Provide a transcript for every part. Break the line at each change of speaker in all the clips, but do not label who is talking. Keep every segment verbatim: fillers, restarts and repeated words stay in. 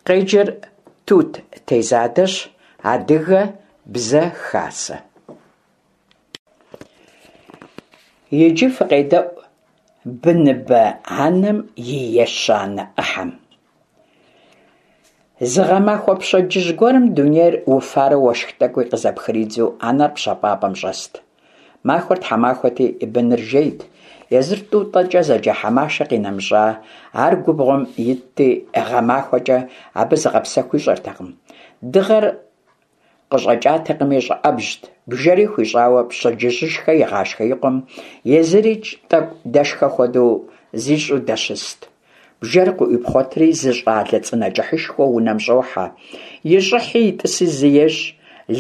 Къеджэр Тут Тезадэщ, Адыгэ Бзэ Хасэ. Иджы фыкъедэӏу быныбэ анэм и ещанэ ӏыхьэм. Зы гъэмахуэ пщэдджыжь гуэрым дунейр уфарэ уэшх тӀэкӀуи къызэпхридзу анэр пщэфӀапӀэм щӀэст. Махуэр тхьэмахуэти, быныр жейт, езыр ТӀутӀэкӀэ зэджэ Хьэмашэ къинэмыщӀа, ар губгъуэм итти, гъэмахуэкӀэ абы зыгъэпсэху ищӀэртэкъым. Дыгъэр къыщӀэкӀатэкъыми щӀыӀэбжьт, бжэри хуищӀауэ пщэдджыжьышхэ игъашхэ и къуэм, езырикӀ тӀэкӀу дэшхэ хуэдэу зищӀу дэщыст. Бжэр къыӀуипхъуэтри зы щӀалэ цӀынэ кӀыхьышхуэ унэм щӀохьэ, и щӀыхьи и тӀыси зы ещӀ,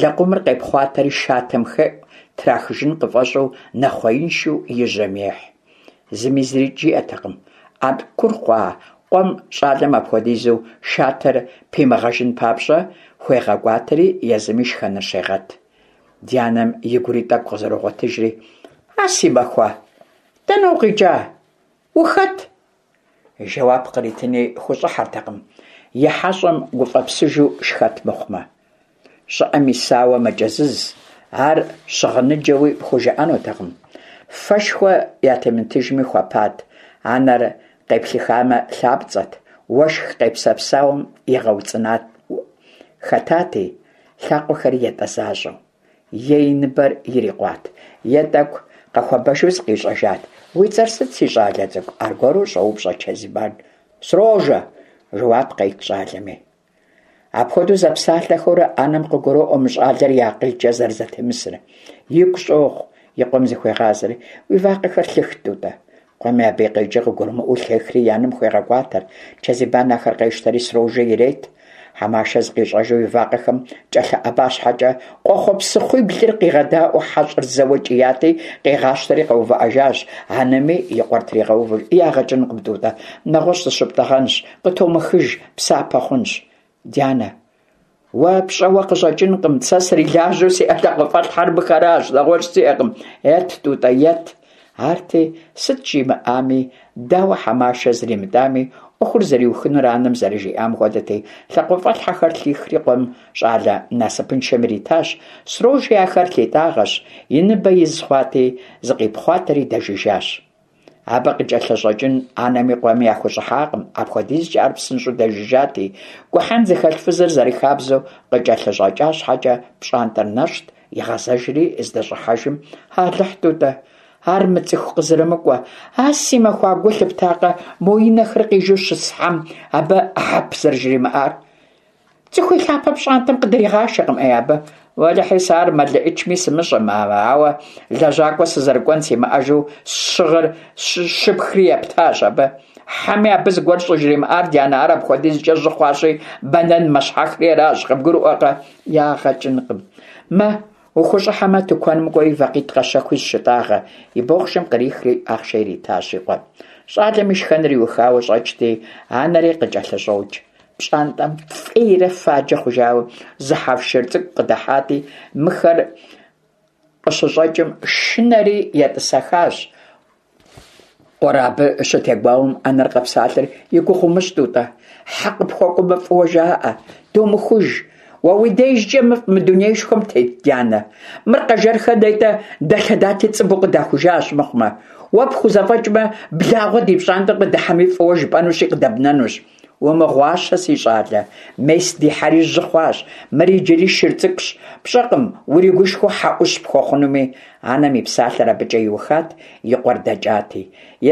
лэкъумыр къепхъуатэри шатэм хеӀу, трахыжын къыфӀэщӀу нэхъуеиншэу и жьэм ехь. Зыми зырикӀ жиӀэртэкъым. Ӏэнкун хъуа къуэм щӀалэм апхуэдизу шатэр пимыгъэжын папщӀэ хуегъэкӀуатэри, езыми шхэныр щегъэт. Ди анэм игури тӀэкӀу къызэрогъуэтыжри, «А си махуэ, дэнэ укъикӀа? Ухэт?» Жэуап къритыни хущӀыхьэртэкъым, и хьэщӀэм гуфӀэпсыжу шхэт мыхъумэ. ЩӀыӀэм исауэ мэкӀэзыз, ар щыгъыныджэуи пхужыӀэнутэкъым. Фэшхуэ ятемытыжми хуэпат, анэр къеплъыхамэ, лъапцӀэт, уэшх къепсэпсауэм игъэуцӀынат хэтати, лъакъуэхэри ятӀэ защӀэу. Е и ныбэр ирикъуат, е тӀэкӀу къэхуэбэжу зыкъищӀэжат. «Уи цӀэр сыт, си щӀалэ цӀыкӀу?» – аргуэру щӀоупщӀэ Чэзибан. «Срожэ», – жэуап къет щӀалэми. Апхуэдэу зэпсалъэхэурэ анэм къыгуроӀуэ мы щӀалэр и акъылкӀэ зэрызэтемысыр. Игу щӀогъу, и къуэм зыхуегъазэри: «Уи вакъэхэр лъых, ТӀутӀэ». Къуэми абы и къикӀыр къыгурымыӀуэу лъехри и анэм хуегъэкӀуатэр. Чэзибан ахэр къещтэри Срожэ ирет. Хьэмашэ зыкъищӀэжу и вакъэхэм кӀэлъыӀэба щхьэкӀэ, къуэхъуэпсыхъуиблыр къигъэдаӀуэу хьэщӀэр зэуэ кӀияти, къигъащтэри къэувыӀэжащ. Анэми и къуэр тригъэувэри: «Ягъэ кӀынкъым, ТӀутӀэ, нэгъуэщӀ зыщыптӀэгъэнщ, къытомыхыж, псапэ хъунщ». «Дянэ, уэ пщӀэуэ къыщӀэкӀынкъым, сэ срилажьэу сиӀэ лъакъуэфӀэлъхьэр мыхэращ, нэгъуэщӀ сиӀэкъым. Ет, ТӀутӀэ, ет». Арти, сыт жимыӀами, дауэ Хьэмашэ зримытӀами, Ӏуэхур зэриухынур анэм зэрыжиӀам хуэдэти, лъакъуэфӀэлъхьэхэр лъихри къуэм щӀалэ насыпыншэм иритащ. Срожи ахэр лъитӀагъэщ, и ныбэ из хъуати, зыкъипхъуатэри дэжыжащ. Абы къыкӀэлъыщӀэкӀын анэми къуэми яхущӀыхьакъым, апхуэдизкӀэ ар псынщӀэу дэжыжати, гухьэн зыхэлъ фызыр зэрыхабзэу къыкӀэлъыщӀэкӀа щхьэкӀэ пщӀантӀэр нэщӀт, игъэзэжри здэщӀыхьэжым: «Алыхь, ТӀутӀэ, ар мыцӀыху къызэрымыкӀуэ, а си махуа гу лъыптакъэ мо и нэхэр къижу щыс хьэм абы хьэп зэрыжримыӀар? ЦӀыху и лъапэ пщӀантӀэм къыдригъашэкъым, Ӏей абы. Уэлэхьи, сэ ар мэлыӀычми сымыщӀэм, ауэ лэжьакӀуэ сызэрыкӀуэн симыӀэжу сщыгъыр щыпхри ептащ абы. Хьэми абы зыгуэр щӀыжримыӀар, дянэ, ар апхуэдизкӀэ жьы хъуащи, бэнэн мэщхьэхри аращ, къыбгурыӀуэкъэ? Ягъэ кӀынкъым. Мэ, ухущӀыхьэмэ, тыкуэным кӀуэи вакъитӀ къэщэхуи зыщытӀагъэ», и бохъшэм кърихри ахъшэ иритащ и къуэм. ЩӀалэм и шхэныр иухауэ щӀэкӀти, анэри къыкӀэлъыщӀокӀ. ПщӀантӀэм фӀейрэ фаджэ хъужауэ зы хьэвшыр цӀыкӀу къыдыхьати, мыхэр къыщыщӀэкӀым шынэри етӀысэхащ. Къуэр абы щытегуауэм, анэр къэпсалъэри: «И гугъу умыщӀ, ТӀутӀэ, хьэ къыпхуэкӀуэмэ, фӀыуэ жаӀэ, домыхуж. Уэ уи дежкӀэ мыфӀ мы дунеишхуэм тет, дянэ? Мыр Къэжэрхэ нетӀэ дэлъэдати, цӀыбу къыдахужащ мыхъумэ. Уэ пхузэфӀэкӀмэ, благъуэ ди пщӀантӀэм къыдыхьэми фӀыуэ жыпӀэнущи къыдэбнэнущ. Умыгъуащэ, си щӀалэ, мес ди хьэри жьы хъуащ, мыр иджыри шыр цӀыкӀущ, пщӀэкъым уригушхуэу хьэ Ӏущ пхуэхъунуми». Анэм и псалъэр абыкӀэ иухат, и къуэр дэкӀати.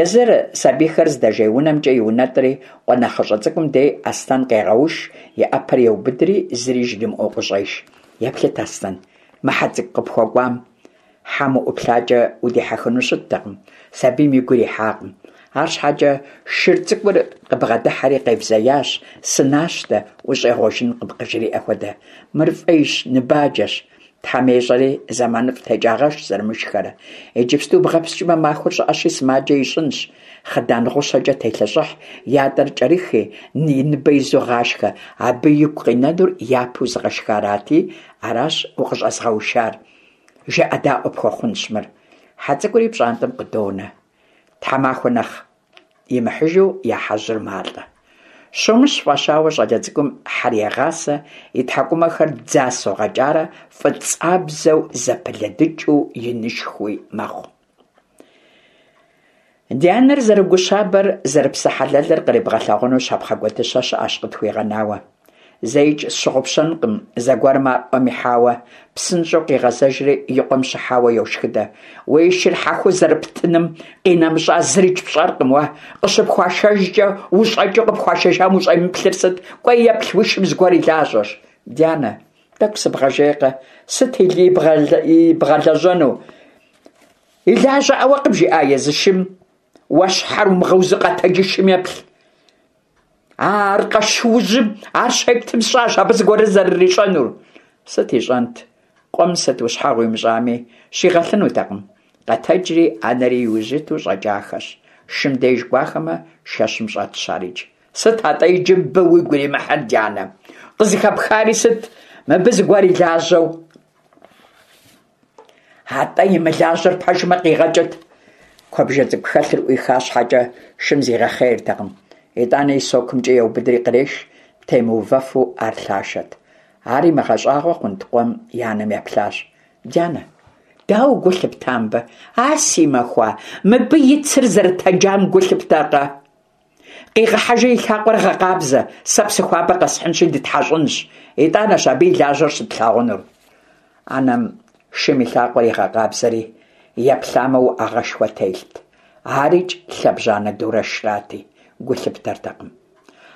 Езыр сабийхэр здэжей унэмкӀэ иунэтӀри, къуэ нэхъыщӀэ цӀыкӀум дей Аслъэн къегъэуш, и Ӏэпэр еубыдри, зыри жримыӀэу къыщӀеш. «Еплъыт, Аслъэн, мы хьэ цӀыкӀу къыпхуэкӀуам». Хьэм уӀуплъакӀэ удихьэхыну щыттэкъым, сабийм и гур ихьакъым. АрщхьэкӀэ шыр цӀыкӀур къыбгъэдыхьэри къебзеящ, сынащтэ, ущӀегъуэжынкъым къыжриӀэ хуэдэ. Мыр фӀейщ, ныбаджэщ. Тхьэм ещӀэри, зэманыфӀ текӀагъэщ зэрымышхэрэ. Иджыпсту бгъэпскӀмэ, махуэр щӀыӀэщи, сымаджэ ищӀынщ. Хъыдан гъущэкӀэ телъэщӀыхь, ятӀэр кӀэрыхи, и ныбэ изу гъашхэ. Абы игу къинэнур япэу зыгъэшхарати, аращ укъыщӀэзгъэушар. ЖыӀэдаӀуэ пхуэхъунщ мыр. Хьэ цӀыкӀури пщӀантӀэм къыдонэ. Тхьэмахуэ нэхъ имыхьыжу я хьэжьыр малӀэ. Щомыщ фӀащауэ щӀалэ цӀыкӀум хьэр егъасэ, и тхьэкӀумэхэр дзасэу гъэкӀарэ фӀыцӀабзэу зэпылыдыкӀыу инышхуи мэхъу. Ди анэр зэрыгущабэр, зэрыпсэхьэлэлыр кърибгъэлъэгъуэну щапхъэ куэдыщэ щыӀэщ къытхуигъэнауэ. ЗэикӀ сщыгъупщэнкъым зэгуэрым ар Ӏуэм ихьауэ, псынщӀэу къигъэзэжри и къуэм щыхьауэ йошхыдэ: «Уи шыр хьэхуу зэрыптыным къинэмыщӀа зырикӀ пщӀэркъым уэ, къыщыпхуашэжкӀэ ущӀэкӀыу къыпхуашэжам ущӀемыплъыр сыт? КӀуэи еплъ, уи шым зыгуэр и лажьэщ». «Дянэ, тӀэкӀу сыбгъэжейкъэ, сыт ибгъэлэжьэну? И лажьэӀауэ къыбжиӀа езы шым? Уэ щхьэр умыгъэузу къэтэджи шым еплъ». Ар къэшыужьым ар щептым сщӀащ абы зыгуэр зэрырищӀэнур. Сыт ищӀэнт, къуэм сыт ущхьэгъу имыщӀами, щигъэлъынутэкъым. Къэтэджри анэри иужь иту щӀэкӀахэщ. Шым деж кӀуахэмэ, шэщым щӀэтщ арикӀ. Сыт атӀэ иджы мыбы уигу иримыхьыр, дянэ? Къызыхэпхари сыт, мыбы зыгуэр и лажьэу? АтӀэ имылажьэр пэжмэ, къигъэкӀыт. Куэбжэ цӀыкӀу хэлъыр Ӏуиха щхьэкӀэ, шым зигъэхъейртэкъым. ИтӀанэ и сокумкӀэ еубыдри къреш, темыувэфу ар лъашэт. Ар имыгъэщӀагъуэ хъунт къуэм и анэм еплъащ: «Дянэ, дауэ гу лъыпта мыбы? А си махуа, мыбы и цыр зэрытэджам гу лъыптакъэ? Къигъэхьэжи и лъакъуэр гъэкъабзэ, сэ псы хуабэ къэсхьынщи дытхьэщӀынщ. ИтӀанэщ абы и лажьэр щытлъагъунур». Анэм шым и лъакъуэр игъэкъабзэри, еплъамэ, уӀэгъэшхуэ телът. АрикӀ лъэбжьанэ дурэшрати, гу лъыптэртэкъым.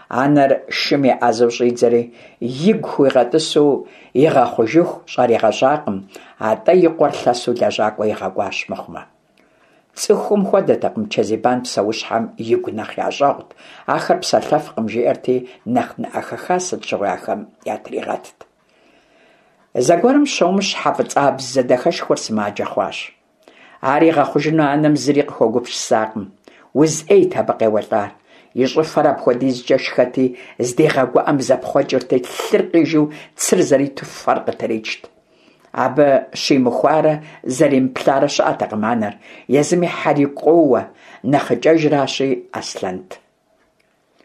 Анэр шым еӀэзэу щӀидзэри, игу хуигъэтӀысу игъэхъужыху щӀаригъэщӀакъым, атӀэ и къуэр лъэсу лэжьакӀуэ игъэкӀуащ мыхъумэ. ЦӀыхум хуэдэтэкъым Чэзибан псэущхьэм игу нэхъ ящӀэгъут, ахэр псэлъэфкъым жиӀэрти, нэхъ нэӀэ хэха сыт щыгъуи ахэм ятригъэтт. Зэгуэрым Щомыщ хьэ фӀыцӀабзэ дахэшхуэр сымаджэ хъуащ. Ар игъэхъужыну анэм зыри къыхуэгупсысакъым. Уз Ӏейт абы къеуэлӀар. И щӀыфэр апхуэдизкӀэ шхэти, здигъэгуӀэм зэпхъуэкӀырти, лъыр къижу цыр зэриту фэр къытричт. Абы щимыхуарэ зэремыплъарэ щыӀэтэкъым анэр, езыми хьэр игу къоуэ, нэхъыкӀэжращи, Аслъэнт.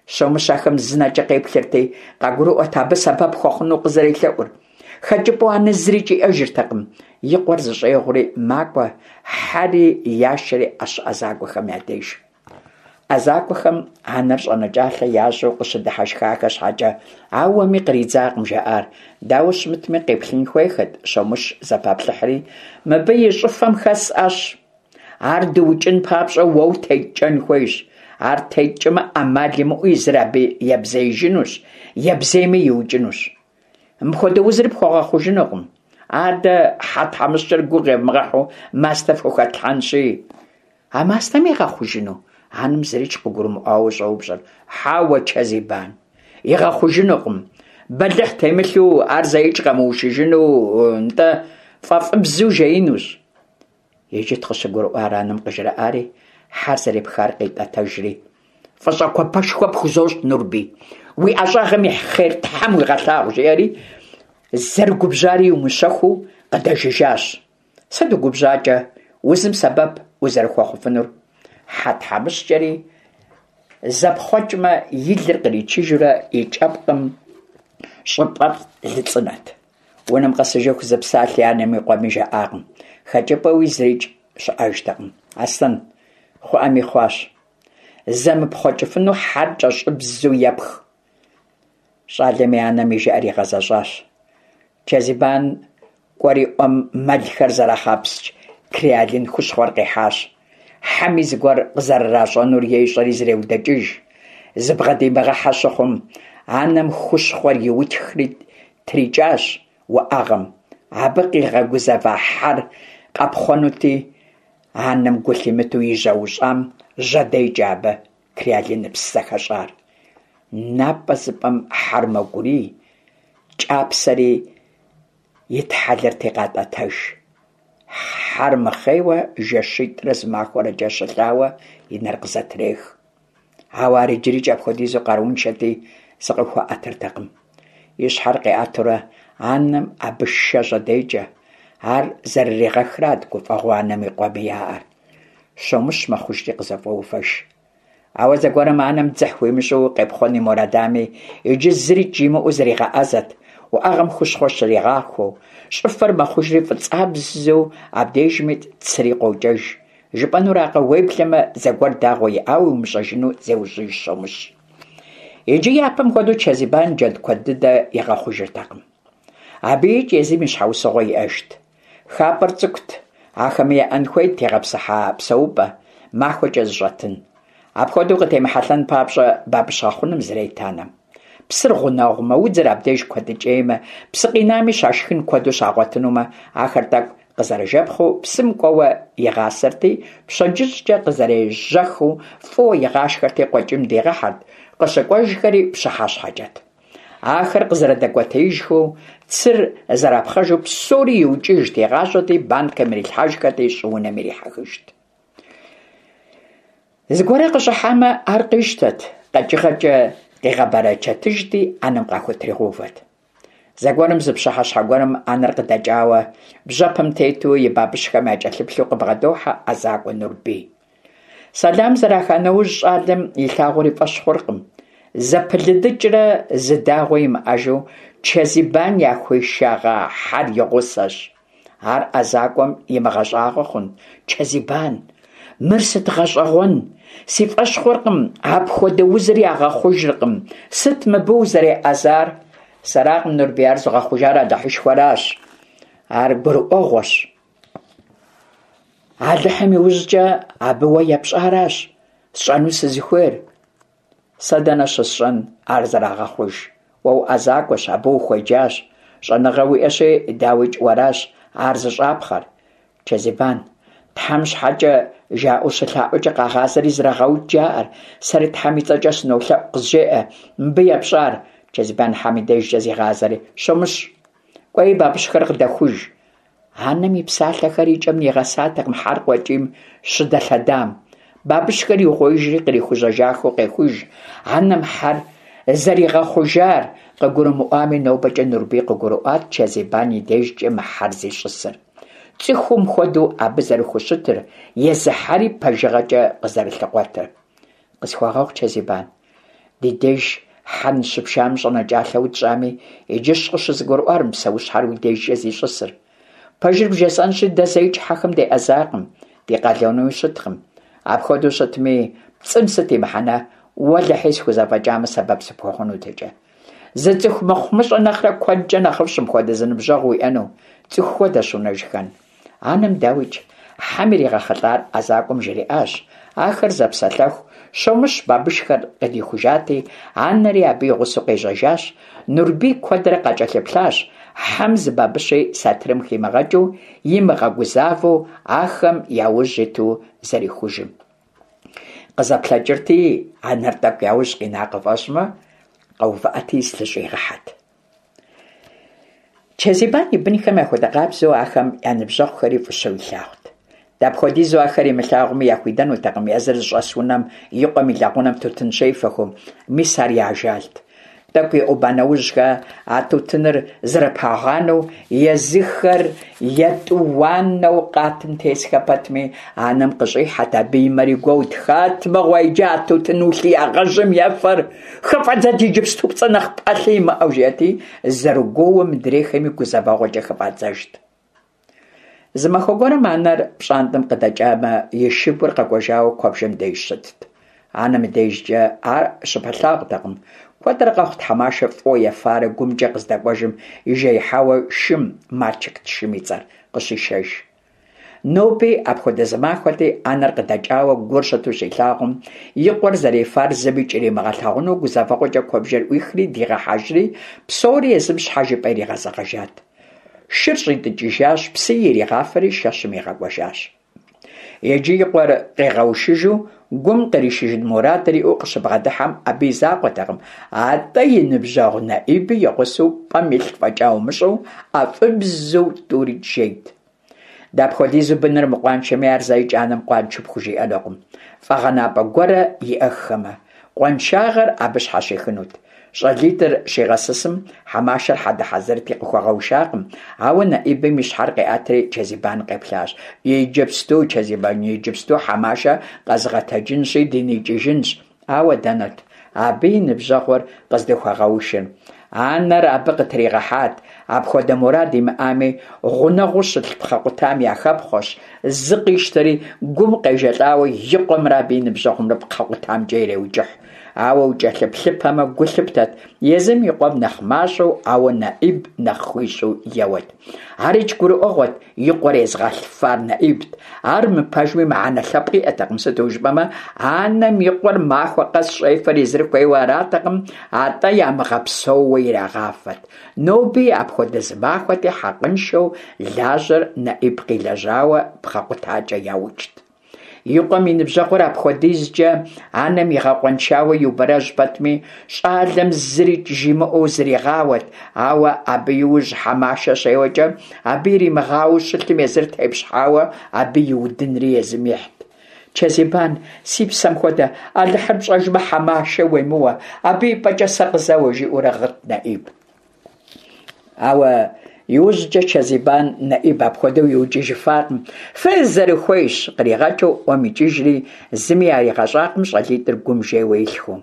Щомыщ ахэм зы нэкӀэ къеплъырти, къагурыӀуэрт абы сэбэп хуэхъуну къызэрелъэӀур. ХэкӀыпӀэу анэ зырикӀ иӀэжыртэкъым. И къуэр зыщӀегъури макӀуэ, хьэри яшэри Ӏэщ ӀэзакӀуэхэм я деж. ӀэзакӀуэхэм анэр щӀэнэкӀалъэ ящӀу къыщыдыхьэшхахэ щхьэкӀэ, ауэми къридзакъым жаӀар. Дауэ щымытми, къеплъын хуейхэт, Щомыщ зэпаплъыхьри, мыбы и щӀыфэм хэс Ӏэщ. Ар дыукӀын папщӀэ уэ утеткӀэн хуейщ. Ар теткӀэмэ, Ӏэмал имыӀэу езыр абы ебзеижынущ, ебзейми иукӀынущ. Мыпхуэдэ узыр пхуэгъэхъужынукъым. Адэ хьэ тхьэмыщкӀэр гугъу евмыгъэхьу мастэ фхухэтлъхьэнщи. А мастэм игъэхъужыну? Анэм зырикӀ къыгурымыӀуауэ щӀоупщӀэр. Хьэуэ, Чэзибан, игъэхъужынукъым. Бэлыхь темылъу ар зэикӀ къэмыушыжыну, нтӀэ, фӀэфӀыбзэу жеинущ. Иджыт къыщыгурыӀуар анэм къыжраӀари, хьэр зэрепхар къитӀэтэжри. ФӀыщӀэ гуапэшхуэ пхузощӀ, Нурбий, уи ӀэщӀагъэм и хъер Тхьэм уигъэлъагъу, жиӀэри, зэрыгубжьари иумыщэхуу къыдэжыжащ. Сыт угубжьакӀэ, узым сэбэп узэрыхуэхъуфынур? Хьэ тхьэмыщкӀэри зэпхъуэкӀмэ, и лыр къричыжурэ и кӀэпкъым щӀыпӀэфӀ лыцӀынэт. Унэм къэсыжыху зы псалъи анэми къуэми жаӀакъым. ХэкӀыпӀэуи зырикӀ щыӀэжтэкъым. Аслъэн, хъуӀэми хъуащ. ЗэмыпхъуэкӀыфыну хьэр кӀэщӀыбзэу епх. ЩӀалэми анэм и жыӀэр игъэзэщӀащ. Чэзибан кӀуэри Ӏуэм мэлхэр зэрагъэпскӀ креолин хущхъуэр къихьащ. Хьэми зыгуэр къызэрыращӀэнур ещӀэри зреудэкӀыж. Зыбгъэдимыгъэхьэ щыхъум, анэм хущхъуэр иутхри трикӀащ уӀэгъэм. Абы къигъэгузэва хьэр къэпхъуэнути, анэм гу лъимытэу и жьэ ущӀам жьэдекӀэ абы креолиныпс зэхэщӀар. НапӀэзыпӀэм хьэр мэукӀурий, кӀапсэри итхьэлэрти къатӀэтэж. Хьэр мыхъейуэ жэщитӀрэ зы махуэрэкӀэ щылъауэ и нэр къызэтрех. Ауэ ар иджырикӀ апхуэдизу къарууншэти, зыкъыхуэӀэтыртэкъым. И щхьэр къиӀэтурэ анэм абы шэ жьэдекӀэ. Ар зэрыригъэхрат гуфӀэгъуэу анэми къуэми яӀэр. Щомыщ мэхъужри къызэфӀоувэж. Ауэ зэгуэрым анэм дзыхь хуимыщӀу къепхъуэн и мурадами, иджы зырикӀ жимыӀэу зригъэӀэзэт, уӀэгъэм хущхъуэ щригъахуэу. ЩӀыфэр мэхъужри фӀыцӀабзэу, абдежми цыри къокӀэж. ЖыпӀэнуракъэ, уеблэмэ зэгуэр дагъуэ иӀауи умыщӀэжыну зеужьыж щомыщ. Иджы япэм хуэдэу Чэзибан джэд куэд дыдэ игъэхъужыртэкъым. АбыикӀ езым и щхьэусыгъуэ иӀэжт. ХапӀэр цӀыкӀут, ахэми яӀэн хуейт тегъэпсыхьа псэупӀэ, махуэкӀэ зыщӀэтын. Апхуэдэу къытемыхьэлъэн папщӀэ бабыщ гъэхъуным зрет анэм. Псыр гъунэгъумэ, удзыр абдеж куэдыкӀеймэ, псы къинами щашхын куэду щагъуэтынумэ, ахэр тӀэкӀу къызэрыжэпхъыу псым кӀуэуэ игъасэрти, пщэдджыжькӀэ къызэрежьэхыу фӀыуэ игъашхэрти къуэкӀийм дигъэхьэрт, къыщыкӀуэжхэри пщыхьэщхьэкӀэт. Ахэр къызэрыдэкӀуэтеижхэу, цыр зэрапхъэжу псори иукӀыжт, игъажьэрти, банкэм ирилъхьэжхэрти, щӀыунэм ирихьэхыжт. Зыгуэрэ къыщӀыхьамэ, ар къищтэт, къэкӀыгъэкӀэ къигъэбэрэчэтыжти, Ӏэнэм къахутригъэувэт. Зэгуэрым зы пщыхьэщхьэ гуэрым анэр къыдэкӀауэ, бжьэпэм тету и бабыщхэм якӀэлъыплъу къыбгъэдохьэ ӀэзакӀуэ Нурбий. Сэлам зэраха нэужь, щӀалэм илъагъур и фӀэщ хъуркъым. ЗэпылыдыкӀрэ зы дагъуи имыӀэжу Чэзибан яхуишэгъа хьэр и гъусэщ. Ар ӀэзакӀуэм имыгъэщӀагъуэ хъун: «Чэзибан, мыр сыт гъэщӀэгъуэн! Си фӀэщ хъуркъым, апхуэдэ узыр ягъэхъужыркъым. Сыт мыбы узэреӀэзар?» «Сэракъым, Нурбий, ар зыгъэхъужар Алыхьышхуэращ. Ар гурыӀуэгъуэщ. Алыхьым иужькӀэ абы уэ епщӀаращ сщӀэну сызыхуейр. Сэ дэнэ щысщӀэн ар зэрагъэхъуж? Уэ уӀэзакӀуэщ, абы ухуеджащ. ЩӀэныгъэ уиӀэщи, дауикӀ, уэращ ар зыщӀапхъэр. Чэзибан, Тхьэм щхьэкӀэ жаӀэу щылъаӀуэкӀэ къагъазэри зрагъэукӀ жаӀэр. Сэри Тхьэм и цӀэкӀэ сынолъэӀу, къызжеӀэ мыбы епщӀар. Чэзибан хьэм и дежкӀэ зигъазэри: «Щомыщ, кӀуэи бабыщхэр къыдэхуж». Анэм и псалъэхэр и кӀэм нигъэсатэкъым хьэр къуэкӀийм щыдэлъэдам. Бабыщхэр иугъуеижри кърихужьэжахэу къехуж. Анэм хьэр зэригъэхъужар къыгурымыӀуами, нобэкӀэ Нурбий къыгурыӀуат Чэзибан и дежкӀэ мы хьэр зищӀысыр. ЦӀыхум хуэдэу абы зэрыхущытыр, езы хьэри пэжыгъэкӀэ къызэрылъыкъуэтыр. «Къысхуэгъэгъу, Чэзибан, ди деж хьэ ныщыпшам щӀэнэкӀалъэ утщӀами, иджыщ къыщызгурыӀуар мы псэущхьэр уи дежкӀэ зищӀысыр. Пэжыр бжесӀэнщи, дэ зэикӀ хьэхэм деӀэзакъым, ди къалэнуи щыткъым. Апхуэдэу щытми, пцӀым сыт и мыхьэнэ, уэлэхьи схузэфӀэкӀамэ сэбэп сыпхуэхъунутэкӀэ. Зы цӀыху мыхъумыщӀэ нэхърэ куэдкӀэ нэхъыфӀщ мыпхуэдэ зы ныбжьэгъу уиӀэну, цӀыху хуэдэщ Унэжхэн». Анэм, дауикӀ, хьэм иригъэхъулӀар ӀэзакӀуэм жриӀащ. Ахэр зэпсэлъэху, Щомыщ бабышхэр къыдихужати, анэри абы и гъусэу къежьэжащ. Нурбий куэдрэ къакӀэлъыплъащ, хьэм зы бабыщи сатырым химыгъэкӀыу, имыгъэгузавэу ахэм я ужь иту зэрихужым. КъызэплъэкӀырти, анэр тӀэкӀу яужь къина къыфӀэщӀмэ, къэувыӀэти зылъыщӀигъэхьэт. Чэзибан и бынхэм яхуэдэ къабзэу ахэм я ныбжьэгъухэри фӀыщэу илъагъут. Дапхуэдизу ахэр имылъагъуми, яхуидэнутэкъым езыр зыщӀэс унэм и къуэм и лэгъунэм тутын щефэхэу, мис ар я ажалт. ТӀэкӀу еӀуба нэужьхэ а тутыныр зэрыпагъанэу, езыхэр етӀуанэу къатым тесхэ пэтми, анэм къыщӀихьэт, абы и мэри гуэут. «Хэт мыгъуэ иджы а тутын улъиягъэжьым ефэр? ХыфӀэдзэт иджыпсту пцӀы нэхъ пӀалъэ имыӀэу», жиӀэти, зэрыгуоуэ мыдрейхэми гузэвэгъуэкӀэ хыфӀадзэжт. Зы махуэ гуэрым анэр пщӀантӀэм къыдэкӀамэ, и шыгур къэкӀуэжауэ куэбжэм деж щытт. Анэм и дежкӀэ ар щыпэлъагъутэкъым. Куэдрэ къэхъут Хьэмашэ фӀыуэ ефарэ гумкӀэ къыздэкӀуэжым ижеихьауэ шым, Мальчикт шым и цӀэр, къыщишэж. Ноби апхуэдэ зы махуэти, анэр къыдэкӀауэ гур щыту щилъагъум, и къуэр зэрефар зыми кӀэримыгъэлъагъуну гузэвэгъуэкӀэ куэбжэр Ӏуихри дигъэхьэжри, псори езым щхьэж и пӀэ иригъэзэгъэжат. Шыр щӀитӀыкӀыжащ, псыи иригъафэри шэщым игъэкӀуэжащ. Иджы и къуэр къигъэушыжу гум къришыжын мурадыр иӀэу къыщыбгъэдыхьэм, абы и закъуэтэкъым, атӀэ и ныбжьэгъу НэӀиби и гъусэу пӀэм илъ фӀэкӀа умыщӀэу ӀэфӀыбзэу тӀури жейт. Дапхуэдизу быныр мыкъуаншэми, ар зэикӀ анэм къуаншэу пхужиӀэнукъым, фӀэгъэнапӀэ гуэрэ иӀэххэмэ, къуаншагъэр абы щхьэщихынут. ЩӀалитӀыр щигъэсысым, Хьэмашэр хьэдэ хьэзырти къыхуэгъэушакъым, ауэ НэӀибым и щхьэр къиӀэтри Чэзибан къеплъащ. Иджыпсту, Чэзибан, иджыпсту Хьэмашэ къэзгъэтэджынщи дыникӀыжынщ. Ауэ дэнэт абы и ныбжьэгъур къыздыхуэгъэушыр? Анэр абы къытригъэхьат, апхуэдэ мурад имыӀами, гъунэгъуу щылъ пхъэ къутам яхэпхъуэщ, зы къищтэри, гум къежэлӀауэ и къуэмрэ абы и ныбжьэгъумрэ пхъэ къутамкӀэ иреукӀыхь. Ауэ укӀэлъыплъыпэмэ, гу лъыптэт, езым и къуэм нэхъ мащӀэу, ауэ НэӀиб нэхъ хуищӀу еуэт. АрикӀ гурыӀуэгъуэт, и къуэр езыгъэфар НэӀибт. Ар мыпэжми мыхьэнэ лъэпкъ иӀэтэкъым, сыту жыпӀэмэ, анэм и къуэр махуэ къэс щӀефэр езыр хуейуэ аратэкъым, атӀэ ямыгъэпсэууэ ирагъафэт. Ноби апхуэдэ зы махуэти, хьэкъыншэу лажьэр НэӀиб къилэжьауэ пхъэ къутакӀэ яукӀт. И къуэм и ныбжьэгъур апхуэдизкӀэ анэм игъэкъуэншауэ иубэрэжь пэтми, щӀалэм зырикӀ жимыӀэу зригъауэт, ауэ абы иужь Хьэмашэ щеуэкӀэ, абы иримыгъауэу щылъым езыр тепщхьауэ абы и удынри езым ихьт. Чэзибан, си псэм хуэдэ, Алыхьыр пщӀэжмэ, Хьэмашэ уемыуэ, абы и пӀэкӀэ сэ къызэуэ, жиӀэурэ гъыт НэӀиб. Ауэ иужькӀэ Чэзибан НэӀиб апхуэдэу иукӀыжыфакъым. Фызэрыхуейщ къригъэкӀыу Ӏуэм икӀыжри, зыми яригъэщӀакъым щӀалитӀыр гум жейуэ илъхэу.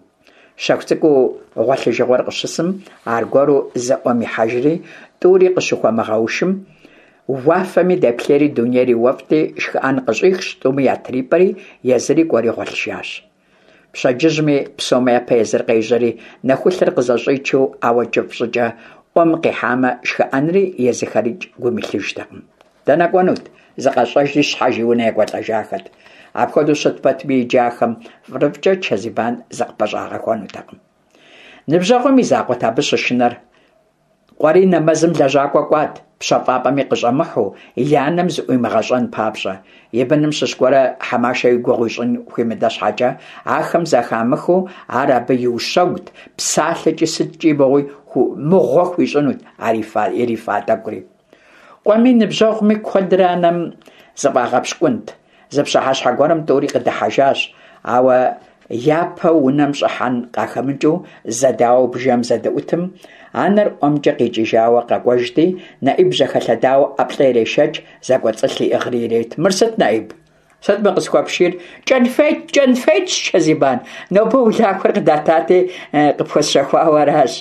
Щэху цӀыкӀуу гъуэлъыжыгъуэр къыщысым, аргуэру зэ Ӏуэм ихьэжри, тӀури къыщыхуэмыгъэушым, уафэми дэплъейри дунейри уэфӀти, шхыӀэн къыщӀихщ, тӀуми ятрипӀэри, езыри кӀуэри гъуэлъыжащ. Пщэдджыжьми псом япэ езыр къежьэри, нэхулъэр къызэщӀичу, ауэ кӀыфӀ щӀыкӀэ Ӏуэм къихьамэ, шхыӀэнри езыхэрикӀ гум илъыжтэкъым. Дэнэ кӀуэнут? ЗыкъащӀэжри щхьэж и унэ екӀуэлӀэжахэт. Апхуэдэу щыт пэтми, иджы ахэм фӀырыфӀкӀэ Чэзибан зыкъыпэщӀагъэхуэнутэкъым. Ныбжьэгъум и закъуэт абы щышынэр. Къуэри нэмэзым лэжьакӀуэ кӀуат, пщэфӀапӀэми къыщӀэмыхьу, и анэм зыӀуимыгъэщӀэн папщӀэ. И быным щыщ гуэрэ Хьэмашэ и гугъу ищӀын хуимыдэ щхьэкӀэ, ахэм зэхамыхыу ар абы иущэгут, псалъэкӀи сыткӀи мыгъуи мыгъуэ хуищӀынут ар ирифа тӀэкӀури. Къуэми ныбжьэгъуми куэдрэ анэм зыфӀагъэпщкӀунт. Зы пщыхьэщхьэ гуэрым тӀури къыдыхьэжащ, ауэ япэу унэм щӀыхьэн къахэмыкӀыу зэдауэу бжэм зэдыӀутым, анэр ӀуэмкӀэ къикӀыжауэ къэкӀуэжти, НэӀиб жьэхэлъэдауэ ӀэплӀэ ирешэкӀ, зэкӀуэцӀылъ иӀыгъри ирет. Мыр сыт, НэӀиб? Сыт мы къысхуэпшийр? КӀэнфет, кӀэнфетщ, Чэзибан. Нобэ улахуэр къыдатати, къыпхуэсщэхуауэ аращ.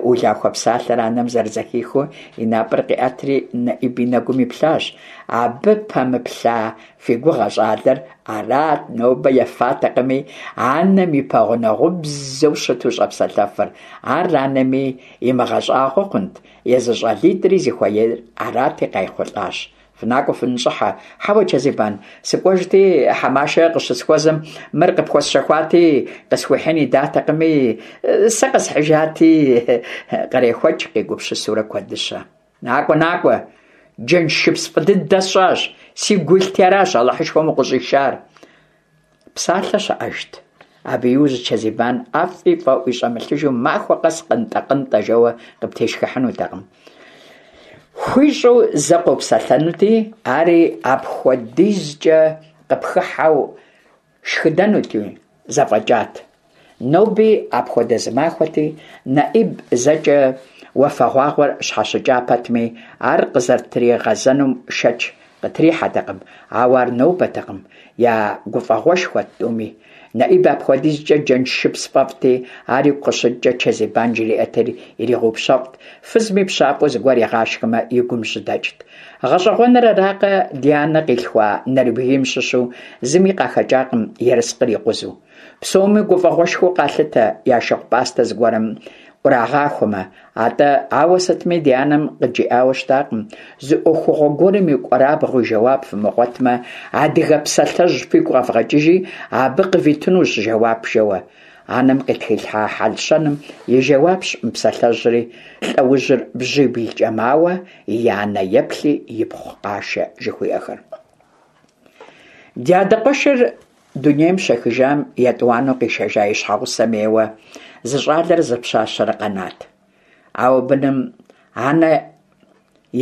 Улахуэ псалъэр анэм зэрызэхихыу и напӀэр къиӀэтри НэӀиб и нэгум иплъащ. Абы пэмыплъа фи гугъэ щӀалэр? Арат нобэ ефатэкъыми, анэм и пэгъунэгъубзэу щыту щӀэпсэлъэфыр. Ар анэми имыгъэщӀагъуэ хъунт, езы щӀалитӀри зыхуеяр арати, къайхъулӀащ. ФынакӀуэ, фыныщӀыхьэ. Хьэуэ, Чэзибан, сыкӀуэжти, Хьэмашэ къыщысхуэзэм, мыр къыпхуэсщэхуати, къысхуихьын идатэкъыми, сэ къэсхьыжати, кърехуэкӀ, къигупсысурэ куэдыщэ. НакӀуэ, накӀуэ, джэншыпс фӀы дыдэ сщӀащ, сигу уилъти аращ Алыхьышхуэм укъыщӀишар. Псалъэ щыӀэжт. Абы иужь Чэзибан ӀэфӀи фӀэӀуи щӀэмылъыжу махуэ къэс къынтӀэ-къынтӀэ жэуэ къыптешхыхьынутэкъым. ХуищӀу зэ къопсэлъэнути, ари апхуэдизкӀэ къыпхыхьэу шхыдэнути, зэфӀэкӀат. Ноби апхуэдэ зы махуэти, НэӀиб зэкӀэ уафэгъуагъуэр щхьэщыкӀа пэтми, ар къызэрытригъэзэнум шэч къытрихьэтэкъым, ауэ ар нобэтэкъым, я гуфӀэгъуэшхуэт тӀуми. НэӀиб апхуэдизкӀэ джэншыпс фӀэфӀти, ар игу къыщыкӀкӀэ Чэзибан жриӀэтри иригъэупщэфӀт, фызми пщафӀэу зыгуэр игъашхэмэ, и гум жьыдэкӀт. ГъэщӀэгъуэныр аракъэ, ди анэ къилъхуа нэрыбгейм щыщу зыми къахэкӀакъым ерыскъыр икъузу. Псоми гуфӀэгъуэшхуэу къалъытэ я шыгъу-пӀастэ зыгуэрым Ӏурагъахуэмэ. АтӀэ, ауэ сытми ди анэм къыджиӀауэ щытакъым: зы Ӏуэхугъуэ гуэрым и кӀуэрабгъу и жэуап фымыгъуэтмэ, адыгэ псалъэжь фигу къэвгъэкӀыжи, абы къывитынущ жэуап жэуэ. Анэм къытхилъхьа хьэл-щэным и жэуапщ мы псалъэжьри: лӀэужьыр бжьиблкӀэ мауэ, и анэ еплъи ипхъу къашэ, жыхуиӀэхэр. Ди адэ къуэшыр дунейм щехыжам, етӀуанэу къишэжа и щхьэгъусэм ейуэ зы щӀалэрэ зы пщащэрэ къэнат. Ауэ быным анэ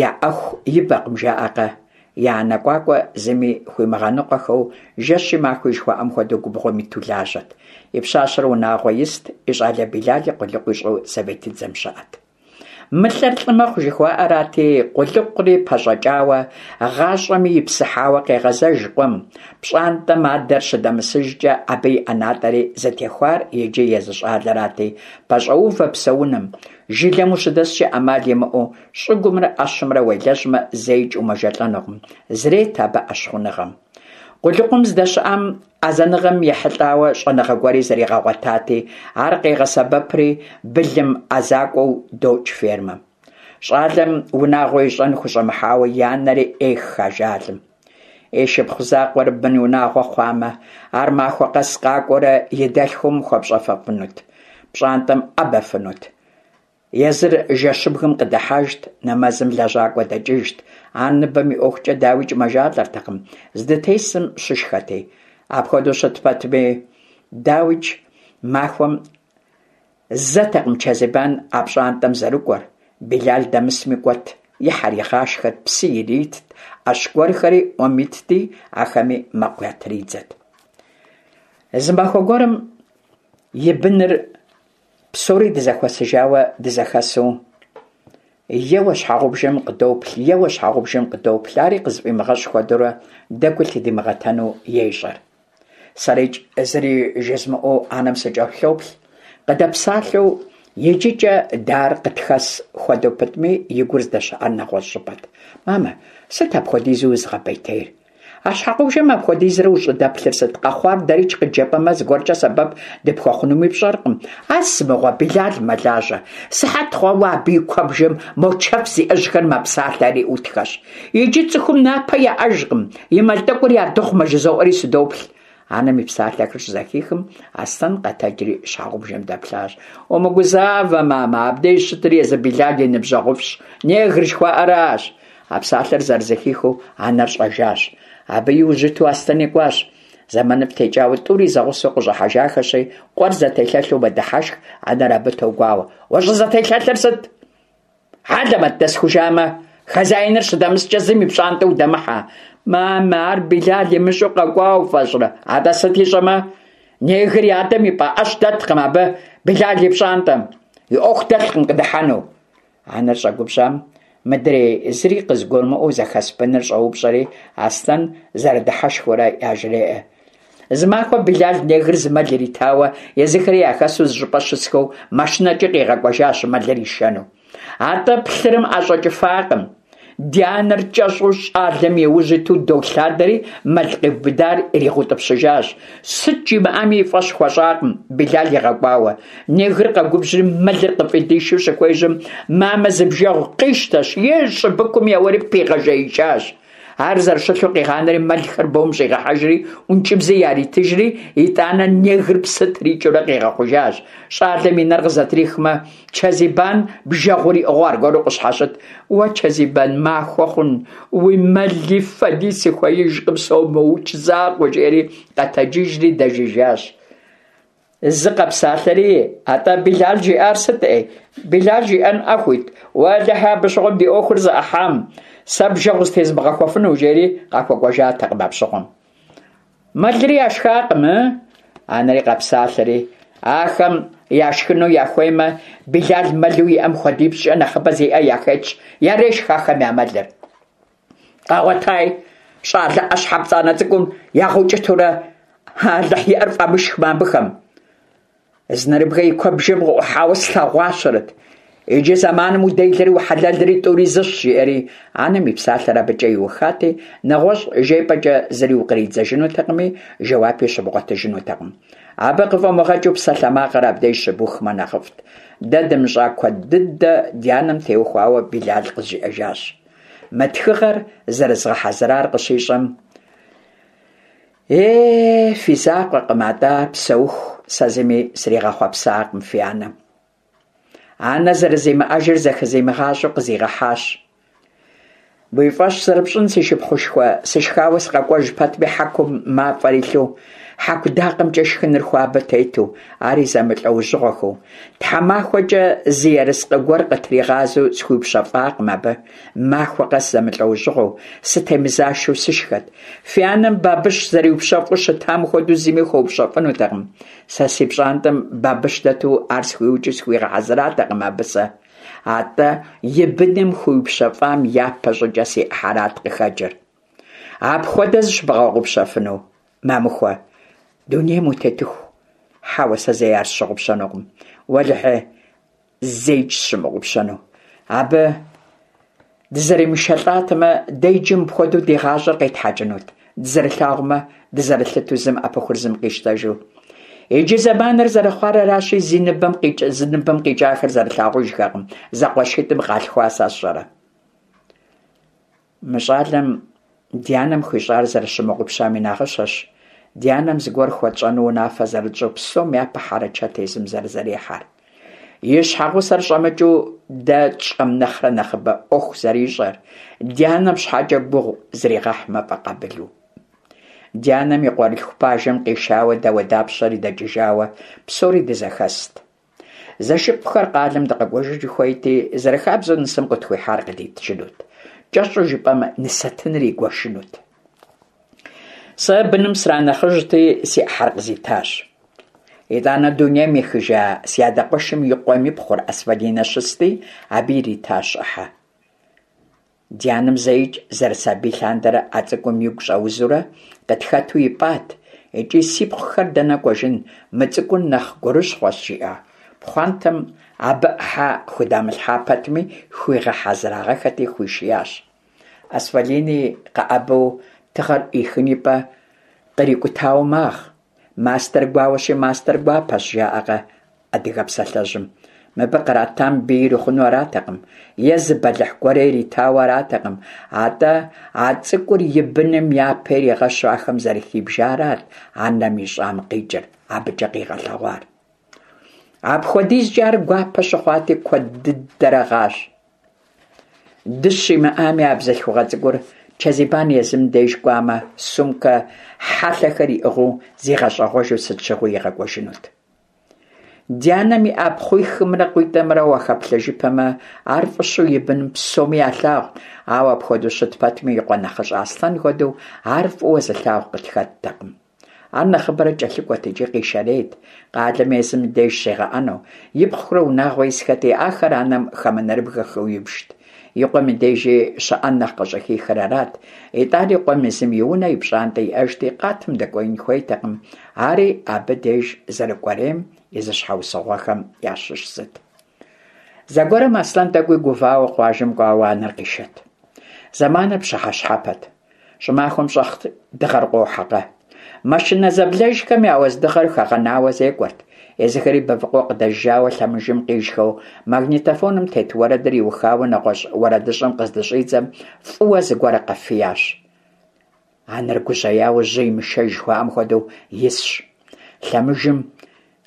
яӀэху ибэкъым, жаӀэкъэ? Я анэ КӀуакӀуэ зыми хуимыгъэныкъуэхэу, жэщи махуи жыхуаӀэм хуэдэу губгъуэм иту лажьэт. И пщащэр унагъуэ ист, и щӀалэ Билали къулыкъу ищӀэу советыдзэм щыӀэт. МылӀэр лӀы мэхъу жыхуаӀэрати, къулыкъури пэщӀэкӀауэ, гъащӀэми ипсыхьауэ къегъэзэж къуэм. ПщӀантӀэм адэр щыдэмысыжкӀэ, абы и ӀэнатӀэри зытехуар иджы езы щӀалэрати, пэщӀоувэ псэуным. Жылэм ущыдэскӀэ Ӏэмал имыӀэу щӀыгумрэ Ӏэщымрэ уелэжьмэ, зэикӀ умэжэлӀэнукъым, зрет абы Ӏэщхъуныгъэм. Къулыкъум здэщыӀэм Ӏэзэныгъэм ехьэлӀауэ щӀэныгъэ гуэри зэригъэгъуэтати, ар къегъэсэбэпри былым ӀэзакӀуэу докӀ фермэм. ЩӀалэм унагъуэ ищӀэн хущӀэмыхьауэ и анэри Ӏех ажалым. И шыпхъу закъуэр бынунагъуэ хъуамэ, ар махуэ къэс къакӀуэурэ и дэлъхум хуэпщӀэфэфынут, пщӀантӀэм Ӏэбэфынут. Езыр жэщыбгым къыдыхьэжт, нэмэзым лэжьакӀуэ дэкӀыжт. Ар ныбэм и ӀуэхукӀэ, дауикӀ, мэжалӀэртэкъым, здытесым щышхэти. Апхуэдэу щыт пэтми, дауикӀ, махуэм зэтэкъым Чэзибан а пщӀантӀэм зэрыкӀуэр, Билал дэмысми кӀуэт, и хьэр игъашхэт, псы иритт, Ӏэщ гуэрхэри Ӏуэм итти, ахэми мэкъу ятридзэт. Зы махуэ гуэрым и быныр псори дызэхуэсыжауэ дызэхэсу, еуэ щхьэгъубжэм къыдоплъ, еуэ щхьэгъубжэм къыдоплъ, ари къызыфӀимыгъэщӀ хуэдэурэ дэ гу лъыдимыгъэтэну ещӀэр. СэрикӀ зыри жызмыӀэу анэм сыкӀэлъоплъ, къыдэпсалъэу иджыкӀэ дэ ар къытхэс хуэдэу пытми, и гур здэщыӀэр нэгъуэщӀ щӀыпӀэт. «Мамэ, сыт апхуэдизу узыгъэпӀейтейр? А щхьэгъубжэм апхуэдизрэ ущӀыдэплъыр сыт? Къэхъуар дэрикӀ къыджепӀэмэ, зыгуэркӀэ сэбэп дыпхуэхъунуми пщӀэркъым. Ар сымыгъуэ, Билал мэлажьэ. Сыхьэт хъуауэ абы и куэбжэм мо чэф зиӀэжьхэр мэпсалъэри Ӏутхэщ. Иджы цӀыхум напэ яӀэжкъым, и мэл тӀэкӀур ядыгъумэ, жызоӀэри сыдоплъ». Анэм и псалъэхэр щызэхихым, Аслъэн къэтэджри щхьэгъубжэм дэплъащ. «Умыгузавэ, мамэ, абдеж щытыр езы Билал и ныбжьэгъуфӀщ, негр жыхуаӀэращ». А псалъэр зэрызэхихыу анэр щӀэжащ. Абы и ужь иту Аслъэни кӀуащ. ЗэманыфӀ текӀауэ тӀури зэгъусэу къыщӀыхьэжахэщи, къуэр зэтелъэлъу мэдыхьэшх, анэр абы тогуауэ. «УщӀызэтелъэлъыр сыт? Хьэлэмэт дэсхужамэ, хозяиныр щыдэмыскӀэ зым и пщӀантӀэ удэмыхьэ. Мамэ, ар Билал имыщӀэу къэкӀуа уфӀэщӀрэ? АтӀэ сыт ищӀэмэ? Негр и адэм и пӀэ Ӏэщ дэткъым абы Билал и пщӀантӀэм. И Ӏуэху дэлъкъым къыдыхьэну». Анэр щӀэгубжьам мыдрей зыри къызыгурымыӀуэу зэхэс быныр щӀоупщӀэри, Аслъэн зэрыдыхьэшхыурэ яжреӀэ. Зы махуэ Билал негр зы мэл иритауэ, езыхэри яхэсу зы щӀыпӀэ щысхэу машинэкӀи къигъэкӀуэжащ мэлыр ишэну. АтӀэ плъырым ӀэщӀэкӀыфакъым. Ди анэр кӀэщӀу щӀалэм и ужь иту долъадэри мэл къиубыдар иригъэутӀыпщыжащ. Сыт жимыӀами и фӀэщ хуэщӀакъым Билал игъэкӀуауэ. Негр къэгубжьри мэлыр къыфӀидишу щыхуежьэм, мамэ зы бжэгъу къищтэщ, е щӀыбыкум еуэри пигъэжеикӀащ. Ар зэрыщылъу къигъанэри мэлхэр бом щӀигъэхьэжри ӀункӀыбзи яритыжри, итӀанэ негр псы трикӀэурэ къигъэхъужащ. ЩӀалэм и нэр къызэтрихмэ, Чэзибан бжэгъур иӀыгъыу аргуэру къыщхьэщыт. «Уэ, Чэзибан, махуэ хъун, уи мэли фэди сыхуеижкъым, сомыукӀ закъуэ», жиӀэри къэтэджыжри дэжыжащ. Зы къэпсалъэри, атӀэ Билал жиӀар сыт, Ӏей? Билал жиӀэнӀэ хуит? Уэлэхьи, абы щыгъуэм ди Ӏуэхур зэӀыхьам, сэ бжэгъу зытезмыгъэхуэфыну, жери къахуэкӀуэжатэкъым апщыгъуэм. Мэлри яшхакъым, ы? Анэри къэпсалъэри, ахэм яшхыну яхуеймэ, Билал мэлу иӀэм хуэдипщӀкӀэ нэхъыбэ зиӀэ яхэтщ, ярешх ахэм я мэлыр. Къагъуэтай щӀалэ Ӏэщхьэ пцӀанэ цӀыкӀум ягъэукӀытурэ, Алыхь иӀэр фӀамышхмэ абыхэм. Зы нэрыбгэ и куэбжэм къыӀухьауэ слъэгъуащэрэт. Иджы зэманым уделэри ухьэлэлри тӀури зыщ, жиӀэри анэм и псалъэр абыкӀэ иухати, нэгъуэщӀ жепӀэкӀэ зыри укъридзэжынутэкъыми, жэуапи щыбгъуэтыжынутэкъым. Абы къыфӀумыгъэкӀыу псалъэмакъыр абдеж щыбухмэ нэхъыфӀт. Дэ дымыщӀа куэд дыдэ ди анэм теухуауэ Билал къызжиӀэжащ. Мы тхыгъэр зэрызгъэхьэзырар къыщищӀэм, «Е, фи закъуэкъым, атӀэ ар псэуху сэ зыми сригъэхъуэпсакъым фи анэм. Анэ зэрызимыӀэжыр зэхызимыгъащӀэу къызигъэхьащ. Уи фӀэщ зэрыпщӀын, си шыпхъушхуэ, сышхауэ сыкъэкӀуэж пэтми, хьэкум мафӀэр илъу, Хьэку дакъэмкӀэ шхыныр хуабэ тету, ари зэмылӀэужьыгъуэхэу. ТхьэмахуэкӀэ зы ерыскъы гуэр къытригъазэу схуиупщэфӀакъым абы. Махуэ къэс зэмылӀэужьыгъуэу, сытемызашэу сышхэт. Фи анэм бабыщ зэриупщэфӀу щытам хуэдэу зыми хуэупщэфӀынутэкъым. Сэ си пщӀантӀэм бабыщ дэту ар схуиукӀыу схуигъэхьэзыратэкъым абы сэ. АтӀэ и быным хуиупщэфӀам япэ щӀыкӀэ си Ӏыхьэрат къыхэкӀыр. Апхуэдэ зыщыбгъэгъупщэфыну, Мамыхуэ, дунейм утетыху? Хьэуэ, сэ зэи ар сщыгъупщэнукъым. Уэлэхьи, зэикӀ сщымыгъупщэну. Абы дызэримышэлӀатэмэ, дэ иджы мыпхуэдэу ди гъащӀэр къетхьэкӀынут, дызэрылъагъумэ, дызэрылъытэу зым Ӏэпыхур зым къищтэжу. Иджы зэманыр зэрыхъуар аращи, зи ныбэм къикӀ, зы ныбэм къикӀахэр зэрылъагъужхэкъым, зэкъуэшитӀым къалъхуа сэ сщӀэрэ. Мы щӀалэм ди анэм хуищӀар зэрыщымыгъупщам и нагъыщэщ ди анэм зыгуэр хуэтщӀэну унафэ зэрытщӀу псом япэ хьэрычэт езым зэрызэрихьэр. И щхьэгъусэр щӀэмыкӀыу дэ тщӀэм нэхърэ нэхъыбэ Ӏуэху зэрищӀэр, ди анэм щхьэкӀэ гугъу зригъэхьмэ фӀэкъабылу. Ди анэм и къуэрылъху пажэм къишауэ дауэдапщэри дэкӀыжауэ псори дызэхэст. Зэшыпхъухэр къалэм дыкъэкӀуэжыну хуейти, зэрыхабзэу нысэм къытхуихьар къыдитыжынут. КӀэщӀу жыпӀэмэ, нысэтыныр игуэшынут. Сэ быным сранэхъыжьти, си Ӏыхьэр къызитащ. ИтӀанэ дунейм ехыжа си адэ къуэшым и къуэм и пхъур Асфалинэ щысти, абы иритащ Ӏыхьэ. Ди анэм зэикӀ зэрысабий лъандэрэ а цӀыкӀум игу щӀэузурэ къытхэту ипӀат икӀи сипхъухэр дэнэ кӀуэжын, мы цӀыкӀур нэхъ гурыщхъуэщ, жиӀэу. Пхъуантэм абы Ӏыхьэ худамылъхьа пэтми, хуигъэхьэзырагъэххэти хуишиящ. Асфалини къэӀэбэу тыгъэр Ӏихын ипӀэ кърикӀутауэ магъ. Мастэр гуауэщи, мастэр гуапэщ, жаӀэкъэ адыгэ псалъэжьым. Мыбы къратам бий ирихъуну аратэкъым, е зы бэлыхь гуэри иритауэ аратэкъым, атӀэ а цӀыкӀур и быным япэ иригъэщу ахэм зэрыхибжарат анэм ищӀам къикӀыр, абыкӀэ къигъэлъэгъуар. АпхуэдизкӀэ ар гуапэ щыхъуати, куэд дыдэрэ гъащ. Дыщ имыӀами, а бзылъхугъэ цӀыкӀур Чэзибан езым деж кӀуамэ, сумкэ хьэлъэхэр иӀыгъыу зигъэщӀэгъуэжу сыт щыгъуи игъэкӀуэжынут. Ди анэм иӀа пхъуихымрэ къуитӀымрэ уахэплъэжыпэмэ, ар фӀыщэу и быным псоми ялъагъут, ауэ апхуэдэу щыт пэтми, и къуэ нэхъыщӀэ Аслъэн хуэдэу ар фӀыуэ зылъагъу къытхэттэкъым. Ар нэхъыбэрэ кӀэлъыкӀуэт икӀи къишэрейт, къалэм езым деж щигъэӀэну. Ипхъухэр унагъуэ исхэти, ахэр анэм хамэнэрыбгэхэу ибжт. И къуэм и дежи щыӀэн нэхъ къыщӀыхихыр арат. ИтӀани къуэм езым и унэ, и пщӀантӀэ иӀэжти, къатым дэкӀуеин хуейтэкъым. Ари абы деж зэрыкӀуэрейм и зы щхьэусыгъуэхэм ящыщ зыт. Зэгуэрым Аслъэн тӀэкӀуи гувауэ къуажэм кӀуауэ анэр къишэт. Зэманыр пщыхьэщхьэпэт. ЩӀымахуэм щӀэх дыгъэр къуохьэкъэ. Машинэ зэблэжхэм я уэздыгъэр хэгъэнауэ зекӀуэрт. Езыхэри Бэвыкъуэ къыдэжыжауэ лъэмыжым къижхэу магнитофоным тет уэрэдыр иухауэ нэгъуэщӀ уэрэдыщӀэм къыздыщӀидзэм фӀыуэ зыгуэр къэфиящ. Анэр гужьеяуэ жьы имышэж жыхуаӀэм хуэдэу исщ. Лъэмыжым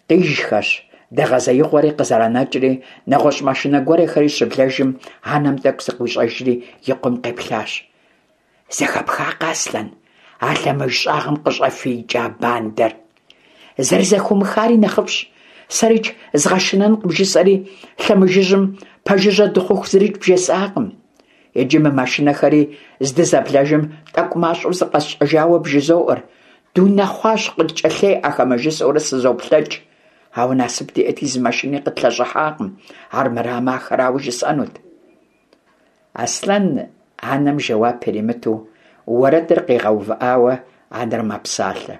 къижхэщ, дэгъэзеигъуэри къызэранэкӀри, нэгъуэщӀ машинэ гуэрхэри щыблэжым, анэм тӀэкӀу зыкъищӀэжри и къуэм къеплъащ. Зэхэпхакъэ, Аслъэн, а лъэмыж щӀагъым къыщӀэфиикӀа бандэр? Зэрызэхыумыхари нэхъыфӀщ. СэрикӀ згъэшынэнкъым жысӀэри, лъэмыжыжьым пэжыжьэ дыхъуху зырикӀ бжесӀакъым. Иджы мы машинэхэри здызэблэжым тӀэкӀу мащӀэу зыкъэсщӀэжауэ бжызоӀэр. Дунэхъуащ, къыткӀэлъеӀэхэмэ, жысӀэурэ сызоплъэкӀ. Ауэ насып диӀэти, зы машини къытлъэщӀыхьакъым, армырамэ ахэрауэ жысӀэнут. Аслъэн анэм жэуап иримыту, уэрэдыр къигъэувыӀауэ анэр мэпсалъэ.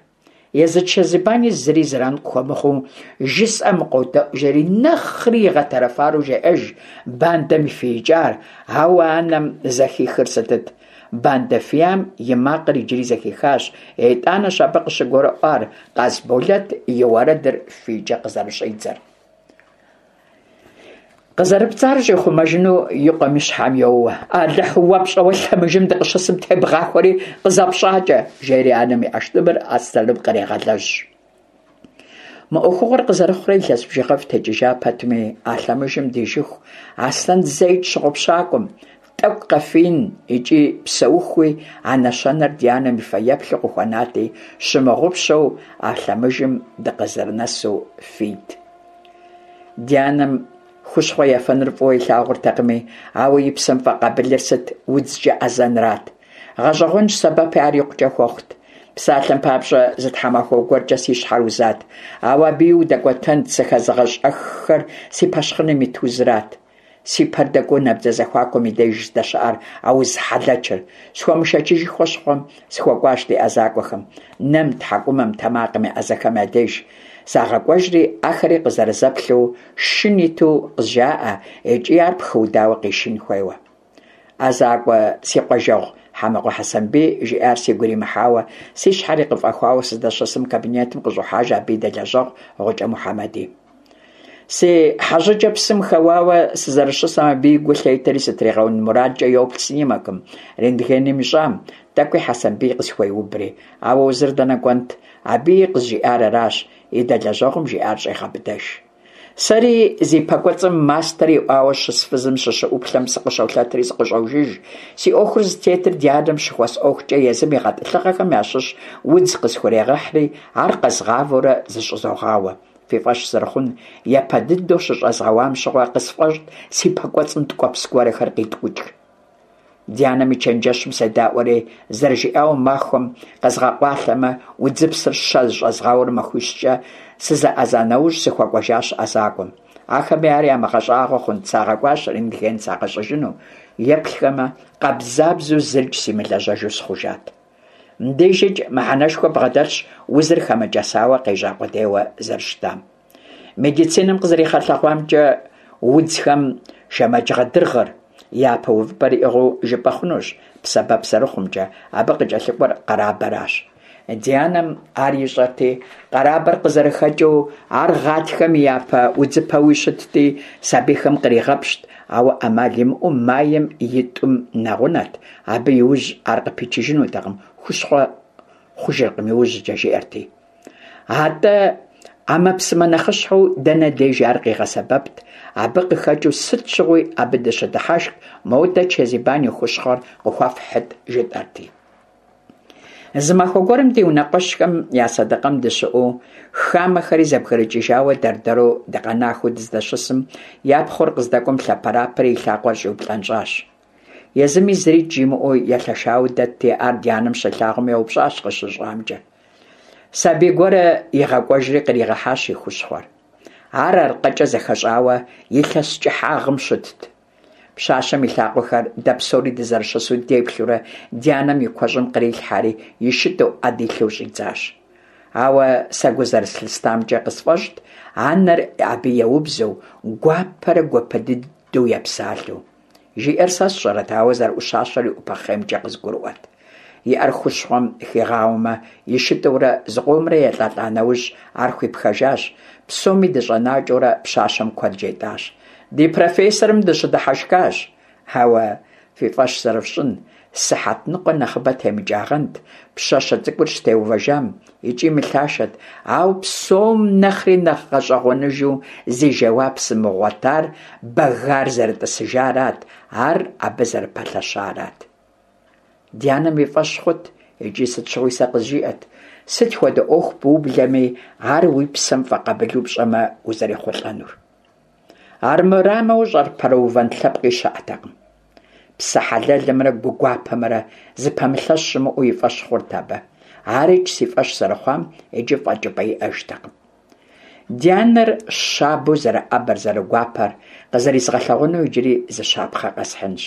Езы Чэзибани зыри зэран къыхуэмыхъуу, жысӀэм къодэӀу жери нэхъри игъэтэрэфару жеӀэж бандэм и фиикӀар, ауэ анэм зэхихыр сытыт? Бандэ фиям и макъыр иджыри зэхихащ, итӀанэщ абы къыщыгурыӀуар Къасболэт и уэрэдыр фийкӀэ къызэрыщӀидзэр. КъызэрыпцӀар щӀихъумэжыну и къуэм и щхьэм йоуэ. Алыхь, уэ пщӀэуэ лъэмыжым дыкъыщысым тебгъахуэри къызэпщӀакӀэ, жери анэм и ӀэштӀымыр Аслъэным кърегъэлэжь. Мы Ӏуэхугъуэр къызэрыхъурэ илъэс бжыгъэфӀ текӀыжа пэтми, а лъэмыжым дижыху Аслъэн зэикӀ щыгъупщакъым тӏэкӏу къэфиин икӏи псэухуи а нэщэнэр ди анэм и фэеплъу къыхуэнати, щымыгъупщэу а лъэмыжым дыкъызэрынэсу фийт. Ди анэм хущхъуэ ефэныр фӏыуэ илъагъуртэкъыми, ауэ и псэм фӏэкъабылыр сыт удзкӏэ ӏэзэнрат. Гъэщӏэгъуэнщ, сэбэпи ар икъукӏэ хуэхъут. Псалъэм папщӏэ, зы тхьэмахуэ гуэркӏэ си щхьэр узат, ауэ абыи удэкӏуэтэнт сыхэзыгъэщӏэххэр си пэщхъыным ит узырат. Си пэр дэкӏуэу набдзэ зэхуакум и деж здэщыӏэр а уз хьэлэчыр. Схуэмышэчыжыхуэ щыхъум, сыхуэкӏуащ ди ӏэзакӏуэхэм. Нэм, тхьэкӏумэм, тэмакъым я ӏэзэхэм я деж сагъэкӏуэжри, ахэри къызэрызэплъу шын иту къызжаӏэ икӏи ар пхыудауэ къишын хуейуэ. ӏэзакӏуэ си къуажэгъу Хьэмыкъуэ Хьэсэнбий жиӏар сигу иримыхьауэ, си щхьэри къыфӏэхуауэ сыздэщысым кабинетым къыщӏохьэж абы и дэлэжьэгъу Гъукӏэ Мухьэмэди. Си хьэжьыкӏэ псым хэуауэ сызэрыщысым абы и гу лъетэри сытригъэун мурадкӏэ йоплъ снимокым, рентгеным ищӏам, тӏэкӏуи Хьэсэнбий къысхуеубри. Ауэ узыр дэнэ кӏуэнт, абыи къызжиӏар аращ, и дэлэжьэгъум жиӏар щӏегъэбыдэж. Сэри зи пэкӏуэцӏым мастэр иӏуауэ щыс фызым сыщыӏуплъэм сыкъыщолъэтри сыкъыщӏожыж. Си ӏуэхур зытетыр ди адэм щыхуэсӏуэхукӏэ езым и гъэтӏылъыгъэхэм ящыщ удз къысхурегъэхьри, ар къэзгъавэурэ зыщӏызогъауэ. Фи фӏэщ зэрыхъун, япэ дыдэу щыщӏэзгъэуам щыгъуэ къысфӏэщӏт си пэкӏуэцӏым ткӏуэпс гуэрхэр къиткӏукӏ. Ди анэм и чэнджэщым седаӏуэри, зэрыжиӏауэ махуэм къэзгъэкъуалъэмэ, удзыпсыр щэ зыщӏэзгъауэрэ махуищкӏэ сызэӏэза нэужь сыхуэкӏуэжащ ӏэзакӏуэм. Ахэми ар ямыгъэщӏагъуэ хъунт, сагъэкӏуащ рентген сагъэщӏыжыну. Еплъхэмэ, къабзабзэу зырикӏ симылэжьэжу сыхъужат. Мыбдежикӏ мыхьэнэшхуэ бгъэдэлъщ узыр хэмыкӏэсауэ къежьа къудейуэ зэрыщытам. Медицинэм къызэригъэлъэгъуамкӏэ, удзхэм шэмэджгъэдыргъыр япэ увыпӏэр иӏыгъыу жыпӏэ хъунущ сэбэп зэрыхъумкӏэ, абы къыкӏэлъыкӏуэр къэрабэращ. Ди анэм ар ищӏэрти, къэрабэр къызэрыхэкӏыу, ар гъатхэм и япэ удзыпэуи щытти, сабийхэм къригъэпщт, ауэ ӏэмал имыӏэу майм и тӏум нэгъунэт, абы иужь ар къыпичыжынутэкъым, хущхъуэ хъужыркъым иужькӏэ, жиӏэрти. Атӏэ ӏэмэпсымэ нэхъыщхьэу дэнэ деж ар къигъэсэбэпт, абы къыхэкӏыу сыт щыгъуи абы дыщыдыхьэшх, модэ Чэзибан и хущхъуэр къыхуэфхьыт, жытӏэрти. Зы махуэ гуэрым ди унэкъуэщхэм я сэдыкъэм дыщыӏэу, хамэхэри зэбгрыкӏыжауэ дэр-дэру дыкъэнахэу дыздэщысым, я пхъур къыздэкӏуэм лъэпэрапэри и лъакъуэр щӏиуплӏэнщӏащ. Езыми зырикӏ жимыӏэу елъэшауэ дэтти, ар ди анэм щилъагъум еупщӏащ къыщыщӏамкӏэ. Сабий гуэрэ игъэкӏуэжри къригъэхьащ и хущхъуэр. Ар аркъэкӏэ зэхэщӏауэ илъэс кӏыхьагъым щытт. Пщащэм и лъакъуэхэр дэ псори дызэрыщысу деплъурэ ди анэм и куэщӏым кърилъхьэри и шытӏу ӏэ дилъэу щӏидзащ. Ауэ сэ гу зэрыслъыстамкӏэ къысфӏэщӏт анэр абы еубзэу, гуапэрэ гуапэ дыдэу епсалъэу. Жиӏэр сэ сщӏэрэт, ауэ зэрыӏущащэр и ӏупэ хъеймкӏэ къызгурыӏуэт. И ӏэр хущхъуэм хигъауэмэ, и шытӏурэ зыкъомрэ елӏэлӏа нэужь ар хуипхэжащ. Псоми дыщӏэнакӏэурэ пщащэм куэд жетӏащ. Ди профессорым дыщыдыхьэшхащ. Ауэ фи фӏэщ зэрыфщӏын, сыхьэт ныкъуэ нэхъыбэ темыкӏагъэнт пщащэ цӏыкӏур щытеувэжам икӏи мылъашэт, ауэ псом нэхъри нэхъ гъэщӏэгъуэныжу зи жэуап сымыгъуэтар бэгар зэрытӏысыжарат, ар абы зэрыпэлъэщарат. Ди анэм и фӏэщ хъут икӏи сыт щыгъуи сэ къызжиӏэт, сыт хуэдэ ӏуэху быублэми, ар уи псэм фӏэкъабылу пщӏэмэ узэрехъулӏэнур. Армырамэ, ущӏыпэрыувэн лъэпкъи щыӏэтэкъым. Псэ хьэлэлымрэ гу гуапэмрэ зыпэмылъэщ щымыӏэу и фӏэщ хъурт абы. Арикӏ си фӏэщ зэрыхъуам иджы фӏэкӏыпӏэ иӏэжтэкъым. Ди анэр щабэу зэрыӏэбэр, зэрыгуапэр къызэризгъэлъэгъуэну иджыри зы щапхъэ къэсхьынщ.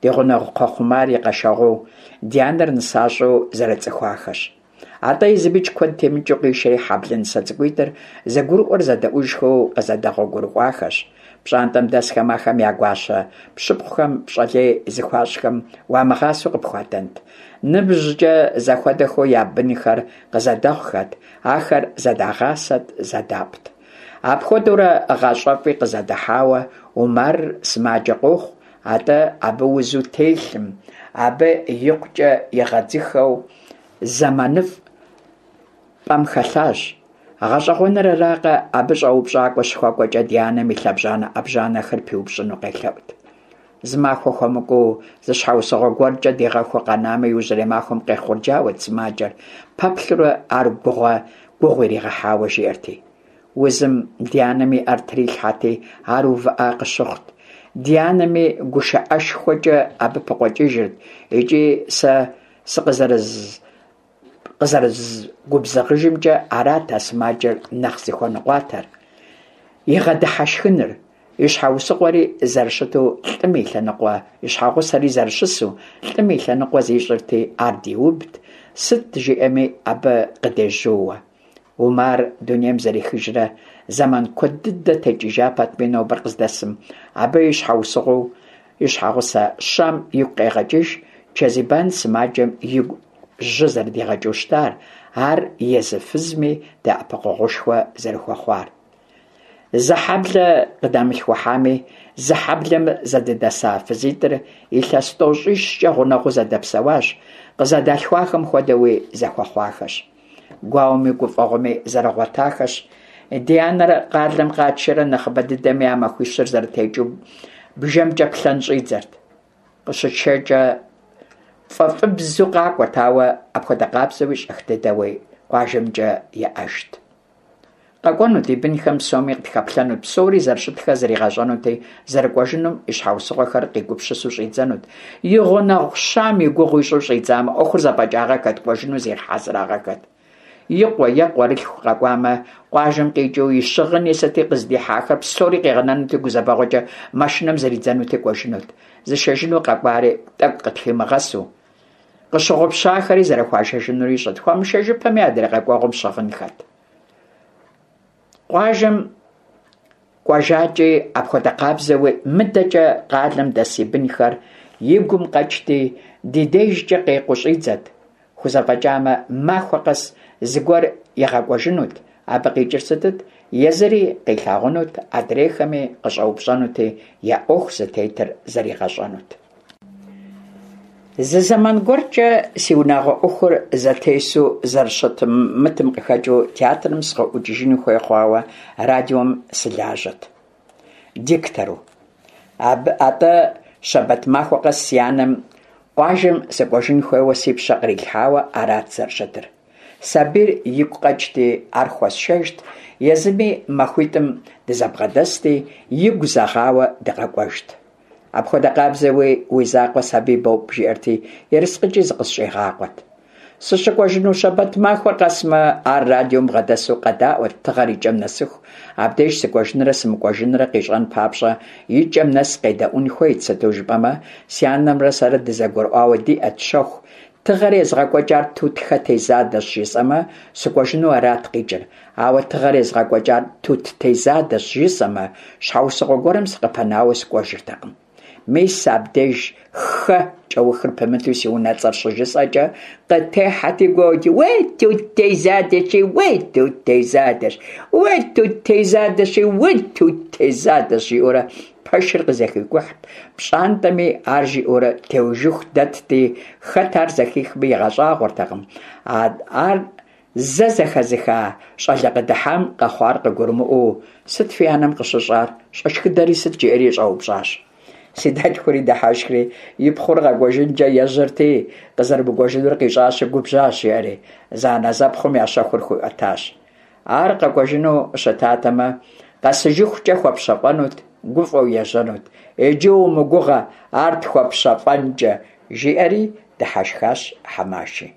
Ди гъунэгъу Кхъуэхъумар и къэшэгъуэу ди анэр нысащӏэу зэрыцӏыхуахэщ. Атӏэ езымикӏ куэд темыкӏыу къишэри хьэблэ нысэ цӏыкӏуитӏыр зэгурыӏуэр зэдэӏужхэу къызэдэгъуэгурыкӏуахэщ. Пщӏантӏэм дэсхэм ахэм я гуащэ пщыпхъухэм пщӏэ лей зыхуащӏхэм уамыгъасэу къыпхуадэнт. Ныбжькӏэ зэхуэдэхэу я бынхэр къызэдэхъухэт, ахэр зэдагъасэт, зэдапӏт. Апхуэдэурэ гъащӏэфӏи къызэдахьауэ Умар сымаджэ къохъу, атӏэ абы узу телъым, абы икъукӏэ игъэдзыхэу зэманыфӏ пӏэм хэлъащ. Гъэщӏэгъуэныр аракъэ, абы щӏэупщӏакӏуэ щыхуэкӏуэкӏэ ди анэм и лъэбжьанэ-ӏэбжьанэхэр пиупщӏыну къелъэӏут. Зы махуэ хуэмыкӀуэу зы щхьэусыгъуэ гуэркӀэ дигъэхуу къэнамэ, иужьрей махуэм къехъурджауэт сымаджэр, пэплъэурэ ар гугъу иригъэхьауэ жиӀэрти. Узым ди анэм и Ӏэр трилъхьэрти, ар увыӀа къыщыхъут. Ди анэми гушыӀэшхуэкӀэ абы пыкъуэкӀыжырт икӀи сэ сыкъызэрыгубзыгъыжымкӀэ, арат а сымаджэр нэхъ зыхуэныкъуатэр – игъэдыхьэшхыныр, и щхьэусыгъуэри зэрыщыту лӀым и лъэныкъуэ и щхьэгъусэри зэрыщысу лӀым и лъэныкъуэ зищӀырти, ар диубт, сыт жиӀэми абы къыдежьууэ. Умар дунейм зэрехыжрэ зэман куэд дыдэ текӀыжа пэтми, нобэр къыздэсым абы и щхьэусыгъуэу и щхьэгъусэ Щам игу къегъэкӀыж Чэзибан сымаджэм игу жьы зэрыдигъэкӀыу щытар, ар езы фызми дэӀэпыкъуэгъушхуэ зэрыхуэхъуар. Зы хьэблэ къыдамылъхухьами, зы хьэблэм зэдыдэса фызитӀыр илъэс тӀощӀищкӀэ гъунэгъуу зэдэпсэуащ, къызэдалъхуахэм хуэдэуи зэхуэхъуахэщ. Гуауэми гуфӀэгъуэми зэрыгъуэтахэщ. Ди анэр къалэм къатшэрэ нэхъыбэ дыдэми а махуищыр зэрытекӀыу бжэмкӀэ плъэн щӀидзэрт. КъыщытшэкӀэ фӀэфӀыбзэу къакӀуэрт, ауэ апхуэдэ къабзэуи щӀэх дыдэуи къуажэмкӀэ еӀэжт. КъэкӀуэнут, и бынхэм псоми къытхэплъэнут, псори зэрыщытхэр зригъэщӀэнути, зэрыкӀуэжынум и щхьэусыгъуэхэр къигупсысу щӀидзэнут. И гъунэгъу Щам и гугъу ищӀу щӀидзамэ, Ӏуэхур зэфӀэкӀагъэххэт, кӀуэжыну зигъэхьэзырагъэххэт. И къуэ е къуэрылъху къэкӀуамэ, къуажэм къикӀыу и щыгъыни сыти къыздихьахэр псори къигъэнэнути, гузэвэгъуэкӀэ машинэм зридзэнути кӀуэжынут. Зышэжыну къэкӀуари тӀэкӀу къытхимыгъэсу, къыщыгъупщахэри зэрыхуашэжынур ищӀэрт, хуамышэжыпэми адрей къэкӀуэгъуэм щыгъынхэт. Къуажэм кӀуэжакӀи апхуэдэ къабзэуи мыдэкӀэ къалэм дэс и бынхэр и гум къэкӀти, ди дежкӀэ къекъуу щӀидзэт. ХузэфӀэкӀамэ, махуэ къэс зыгуэр игъэкӀуэжынут, абы къикӀыр сытыт? Езыри къилъагъунут, адрейхэми къыщӀэупщӀэнути, я Ӏуэху зытетыр зэригъэщӀэнут. Зы зэман гуэркӀэ си унагъуэ Ӏуэхур зэтесу зэрыщымытым къыхэкӀыу театрым сыкъыӀукӀыжын хуей хъуауэ радиом сылажьэт диктору. АтӀэ щэбэт махуэ къэс си анэм къуажэм сыкӀуэжын хуейуэ си пщэ кърилъхьауэ арат зэрыщытыр. Сабийр игу къэкӀти, ар хуэсшэжт, езыми махуитӀым дызэбгъэдэсти, игу зэгъауэ дыкъэкӀуэжт. Апхуэдэ къабзэуи уи закъуэ сабий бопӀ, жиӀэрти, ерыскъыкӀи зыкъысщӀигъакъуэт. СыщыкӀуэжыну щэбэт махуэр къэсмэ, ар радиом бгъэдэсу къэдаӀуэт тыгъэр и кӀэм нэсыху, абдеж сыкӀуэжынрэ сымыкӀуэжынрэ къищӀэн папщӀэ и кӀэм нэс къедэӀуэн хуейт, сыту жыпӀэмэ, си анэмрэ сэрэ дызэгурыӀуауэ диӀэт щэху, тыгъэр езыгъэкӀуэкӀар Тутхэ Тезадэщ жысӀэмэ, сыкӀуэжыну арат къикӀыр, ауэ тыгъэр езыгъэкӀуэкӀар Тут Тезадэщ жысӀэмэ, щхьэусыгъуэ гуэрым сыкъыпынауэ сыкӀуэжыртэкъым. Мис абдеж «хэ» кӀэухыр пымыту си унэцӀэр щыжысӀэкӀэ, къытехьэти гуоути: «Уей, Тут Тезадэщи, уей, Тут Тезадэщ, уей, Тут Тезадэщи, уей, Тут Тезадэщ», жиӀэурэ пэшыр къызэхикӀухьт, пщӀантӀэми ар жиӀэурэ теужыху дэтти, хэт ар зэхихми игъэщӀагъуэртэкъым. Ар зэ зэхэзыха щӀалэ къыдыхьам къэхъуар къыгурымыӀуэу, «Сыт фи анэм къыщыщӀар? ЩӀэшхыдэри сыт?» жиӀэри щӀэупщӀащ. Си дэлъхури дыхьэшхри, и пхъур къэкӀуэжынкӀэ ежьэрти, къызэрымыкӀуэжынур къищӀащи, губжьащ, жиӀэри, зэанэзэпхъум я щэхур хуиӀуэтащ. Ар къэкӀуэжыну щытатэмэ, къэсыжыхукӀэ хуэпщэфӀэнут, гуфӀэу ежьэнут. Иджы умыгугъэ ар тхуэпщэфӀэнкӀэ, жиӀэри дыхьэшхащ Хьэмаши.